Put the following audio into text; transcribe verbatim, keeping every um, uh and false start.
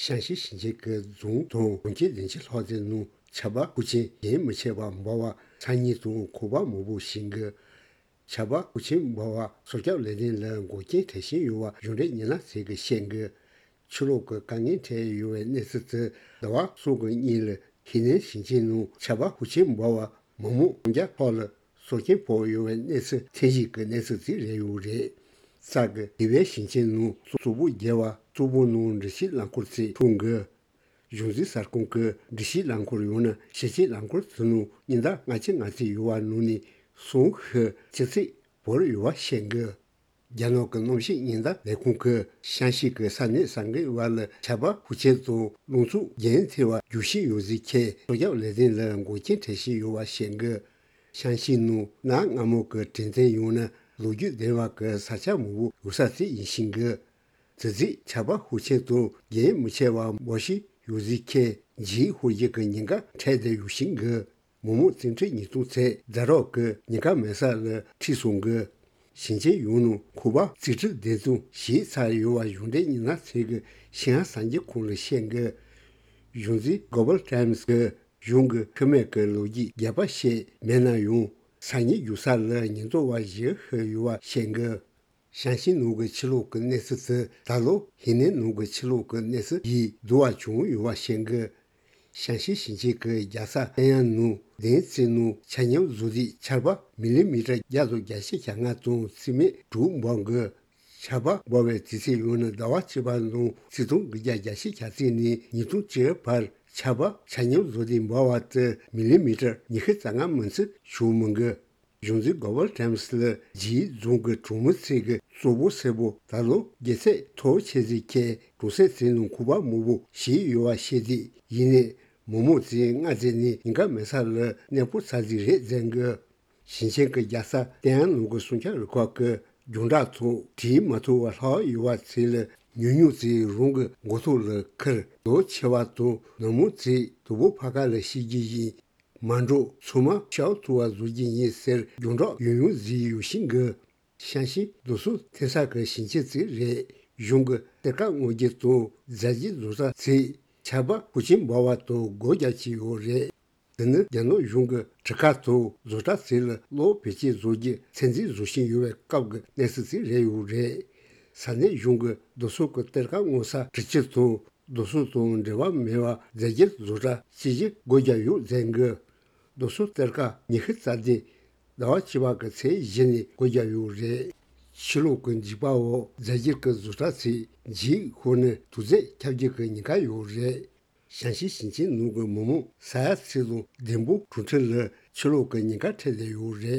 ཤང་ཞི་ཞིང་ཆེན་གྱི་རྫོང་དང་གྲོང་ཁྱེར་བདུན་ཅུ་ལྷག་ཙམ་ནང་ཆར་པ་ཤུགས་ཆེན་རྒྱུན་མི་ཆད་པར་འབབ་པར་ཚ་སྙིགས་དང་ཁུག་པ་མང་པོ་བཞེངས་ཀྱི། ཆར་པ་ཤུགས་ཆེན་འབབ་པར་སྲོག་སྐྱོབ་ལས་དོན་ལ་འགོག་རྐྱེན་འཕྲད་བཞིན་ཡོད་པ་གཞུང་འབྲེལ་ཉི་ན་ཚེ་གིས་བཤད་ཀྱི། ཕྱི་ལོགས་ཀྱི་དཀའ་ངལ་འཕྲད་ཡོད་པའི་གནས་ཚུལ་དེ་ཟླ་བ་གསུམ་གྱི་སྔོན་ལ་ཧི་ནན་ཞིང་ཆེན་ནང་ཆར་པ་ཤུགས་ཆེན་འབབ་པར་མི་མང་ལྔ་བརྒྱ་ལྷག་ལ་སྲོག་སྐྱོན་ཕོག་ཡོད་པའི་གནས་ཚུལ་ཐེངས་ཤིག་གི་གནས་ཚུལ་དེ་རེད་ཡོད་རེད། ས་གི་དེ་བའི་ཞིང་ཆེན་ནང་གཙོད་པོ་རྒྱས་པ་གཙོད་པོ་ནང་འབྲི་ཤིང་རླངས་འཁོར་ཚོས་ཐོན་གྱི། གཞུང་འཛིན་གསར་ཁང་གིས་འབྲི་ཤིང་རླངས་འཁོར་ཡང་ན་ཞིང་ཆེན་རླངས་འཁོར་ཚོའི་ནང་སྙིང་གཏམ་ལྔ་ཆ་ལྔ་བརྩེགས་ཡོད་པ་ནང་ནས་གསུམ་ཤུགས་ཆེ་ཚད་བོར་ཡོད་པ་བཤད་གི། རྒྱ་ནག་གི་གནམ་གཤིས་ཉེན་བརྡ་ལས་ཁུངས་ཀྱིས་ཤང་ཞི་གི་ས་གནས་ས་འགུལ་བ་ལ་ཆར་པ་ཤུགས་ཆེན་དང་རླུང་འཚུབ་རྒྱུན་མཐུད་པར་རྒྱུག་བཞིན་ཡོད་ཟེར་མཁན་སྲོག་སྐྱོབ་ལས་དོན་ལ་འགོག་རྐྱེན་འཕྲད་བཞིན་ཡོད་པ་བཤད་གི། ཤང་ཞི་ནང་གནའ་སྔ་མོ་གི་གྲོང་རྡལ་ཡང་ན་ལོ་རྒྱུས་ལྡན་པ་གི་ས་ཆ་མང་པོ་ཡོད་ས་དེ་ཡིན་ཞིང་གི། དེ་རྗེས་ཆར་པ་ཤུགས་ཆེན་དང་རྒྱུན་མི་ཆད་པར་འབབ་བཞིན་ཡོད་ཟེར་མཁན་འཇིགས་ཤོར་རྒྱུ་གི་ཉེན་ཁ་འཕྲད་བསྡད་ཡོད་ཞིང་གི། མི་མང་བརྩི་འཕྲུལ་ཉིས་སྟོང་ཚད་རྫ་རོག་གི་ཉེན་ཁ་མེད་ས་ལ་ཁྲིད་སོང་གི། ཞིང་ཆེན་ཡོངས་ནང་ཁུག་པ་རྩིས་ཁྲི་བདུན་ཙམ་ཞིག་ཚར་ཡོད་པ་གཞུང་འབྲེལ་ཉི་ན་ཚེ་གིས་ཤིན་ཧྭ་གསར་འགྱུར་ཁང་ལ་བཤད་གི། གཞུང་འཛིན་གོ་བལ་ཊའིམ་སི་གིས་གཞུང་གི་ཁེ་མེད་ཀྱི་ལོ་རྒྱུས་རྒྱས་པ་བཤད་མེད་ན་ཡང་ས་ཉིལ་རྒྱུག་ས་ལ་ཉེན་རྟོག་པ་བཞི་ཤི་ཡོད་པ་བཤད་གི། ཞང་ཞུང་ནང་གི་ཆུ་ལོག་གི་གནས་ཚུལ་དེ་ད་ལོ་ཧི་ནན་ནང་གི་ཆུ་ལོག་གི་གནས་ཚུལ་ཡིས་བསྡུར་བ་བྱུང་ཡོད་པ་བཤད་གི། ཞང་ཞུང་ཞིང་ཆེན་གྱི་རྒྱལ་ས་ཏེན་ཡན་ནང་བདུན་ཙམ་ནང་ཆ་སྙོམས་བཟོ་དུས་ཆར་པ་མི་ལི་མི་ཊར་བརྒྱ་དང་བརྒྱད་ཅུ་གྱ་ལྔ་དང་རྩིས་མེད་དྲུག་འབབ་གི། ཆར་པ་འབབ་པའི་དུས་ཚོད་ཡང་ན་ཟླ་བ་བཅུ་པ་ནང་ཆིག་སྟོང་དགུ་བརྒྱ་གྱ་གཅིག་ནས་ཉིས་སྟོང་བཅུ་བར་ཆར་པ་ཆ་སྙོམས་བཟོ་དུས་འབབ་པ་དེ་མི་ལི་མི་ཊར་ཉི་ཤུ་རྩ་ལྔ་མིན་ཚད་བྱུང་མི་འགི། གཞུང་འཛིན་གོ་བལ་ཊའིམ་སི་ལ་ཇིའི་རྫོང་གི་གྲོང་མི་ཚོས་ཀྱི་གཙོ་བོ་སེར་པོ་ད་ལོ་རྒྱལ་ཚད་མཐོ་ཆེ་ཟིག་ཁྱེད་གྲོང་གསེབ་ཚོའི་ནང་ཁུག་པ་མང་པོ་ཞིག་ཡོད་པ་ཤེས་དུས་ཡིན་ནས་མི་མང་ཚོས་སྔ་རྗེས་ནས་ཉེན་ཁ་མེད་ས་ལ་གནས་སྤོ་ཚར་ཟིག་རེད་ཟེར་གི། ཞིང་ཆེན་གྱི་རྒྱལ་ས་ཏེན་ཡན་ནང་གི་སྲུང་སྐྱོབ་རུ་ཁག་གི་རྒྱང་བསྒྲགས་ཐོག་བྲིས་མ་ཐུབ་པ་ལྷག་ཡོད་པ་ཚོས་ལ་ཉུང་ཉུང་ཚོས་རང་གི་མགོ་ཐོག་ལ་ཁུར་རྡོ་ཆེ་བ་དང་ནུབ་མོ་ཚོས་དུ་བོ་ཕ་ཁ་ལ་ཤི་རྒྱུ་ཡིན། མ་འགྲོ་ཚང་མ་ཤའོ་ཐུ་བ་བཟོ་རྒྱུ་ཡིན་ཟེར་རྒྱང་བསྒྲགས་ཡང་ཡང་བཟོས་ཡོད་ཤིང་གི། ཞང་ཞུང་རྡོ་སོལ་ཐོན་ས་གི་ཞིང་ཆེན་ཚོ་རེད། གཞུང་གི་གཏེར་ཁ་སྔོག་རྒྱུ་དང་རྫས་འགྱུར་བཟོ་གྲྭ་ཚོས་ཆར་པ་ཤུགས་ཆེན་འབབ་པ་དང་སྒོ་རྒྱག་གི་ཡོད་རེད། དེ་ནི་རྒྱ་ནག་གཞུང་གི་གྲུ་ཁ་དང་བཟོ་གྲྭ་ཚོ་ལ་གློག་བེད་སྤྱོད་བཟོ་རྒྱུ་ཚད་འཛིན་བཟོ་བཞིན་ཡོད་པའི་སྐབས་ཀྱི་གནས་ཚུལ་ཞིག་རེད་ཡོད་རེད། ས་གནས་གཞུང་གི་རྡོ་སོལ་གྱི་གཏེར་ཁ་སྔོག་ས་གྲུ་ཆུ་དང་རྡོ་སོལ་དང་འབྲེལ་བ་མེད་པ་རྫས་འགྱུར་བཟོ་གྲྭ་སྤྱི་བཞི་སྒོ་བརྒྱབ་ཡོད་ཟེར་གི། རྡོ་སོལ་གཏེར་ཁ་ཉི་ཤུ་རྩ་བདུན་ཟླ་བ་བཅུ་པ་གི་ཚེས་བཞི་ནས་སྒོ་བརྒྱབ་ཡོད་རེད། ཕྱི་ལོགས་ཀྱི་འཇིགས་པ་འོག་རྫས་འགྱུར་གྱི་བཟོ་གྲྭ་ཚོས་འཇིགས་ཤོར་ནས་དུག་རྫས་ཁྱབ་རྒྱུ་གི་ཉེན་ཁ་ཡོད་རེད། ཞང་ཞུང་ཞིང་ཆེན་ནང་གི་མི་མང་ས་ཡ་ཚོ་དང་ལྡིང་སྦུག་གྲོང་ཁྱེར་ལ་ཆུ་ལོག་གི་ཉེན་ཁ་འཕྲད་བསྡད་ཡོད་རེད།